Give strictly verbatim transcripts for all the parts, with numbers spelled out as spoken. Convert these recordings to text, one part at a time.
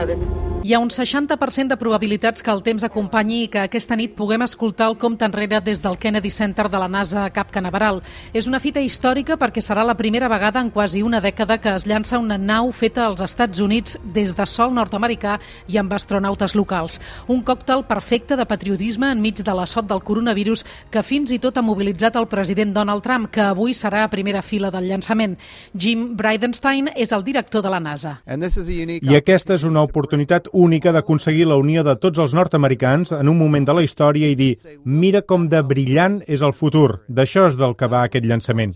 notice. Hi ha un seixanta per cent de probabilitats que el temps acompanyi i que aquesta nit puguem escoltar el compte enrere des del Kennedy Center de la NASA a Cap Canaveral. És una fita històrica perquè serà la primera vegada en quasi una dècada que es llança una nau feta als Estats Units des de sòl nord-americà i amb astronautes locals. Un còctel perfecte de patriotisme enmig de l'assot del coronavirus que fins i tot ha mobilitzat el president Donald Trump, que avui serà a primera fila del llançament. Jim Bridenstine és el director de la NASA. I aquesta és una oportunitat única d'aconseguir la unió de tots els nord-americans en un moment de la història i dir, mira com de brillant és el futur. D'això és del que va aquest llançament.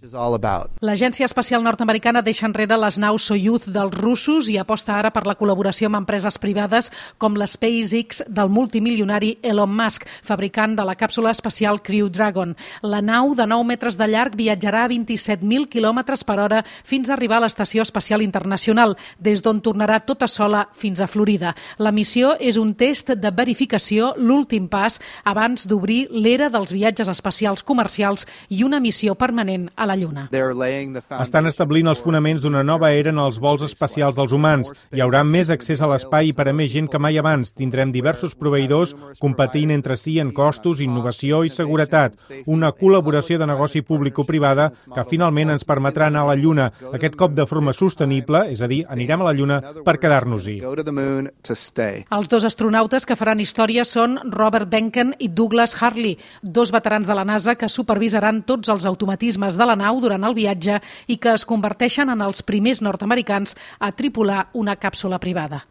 L'Agència Espacial Nord-Americana deixa enrere les naus Soyuz dels russos i aposta ara per la col·laboració amb empreses privades com la SpaceX del multimilionari Elon Musk, fabricant de la càpsula espacial Crew Dragon. La nau de nou metres de llarg viatjarà a vint-i-set mil quilòmetres per hora fins a arribar a l'Estació Espacial Internacional, des d'on tornarà tota sola fins a Florida. La missió és un test de verificació, l'últim pas abans d'obrir l'era dels viatges espacials comercials i una missió permanent a la Lluna. Estan establint els fonaments d'una nova era en els vols espacials dels humans. Hi haurà més accés a l'espai per a més gent que mai abans. Tindrem diversos proveïdors competint entre si en costos, innovació i seguretat. Una col·laboració de negoci público-privada que finalment ens permetrà anar a la Lluna, aquest cop de forma sostenible, és a dir, anirem a la Lluna per quedar-nos-hi. Els dos astronautes que faran història són Robert Behnken i Douglas Hurley, dos veterans de la NASA que supervisaran tots els automatismes de la nau durant el viatge i que es converteixen en els primers nord-americans a tripular una càpsula privada.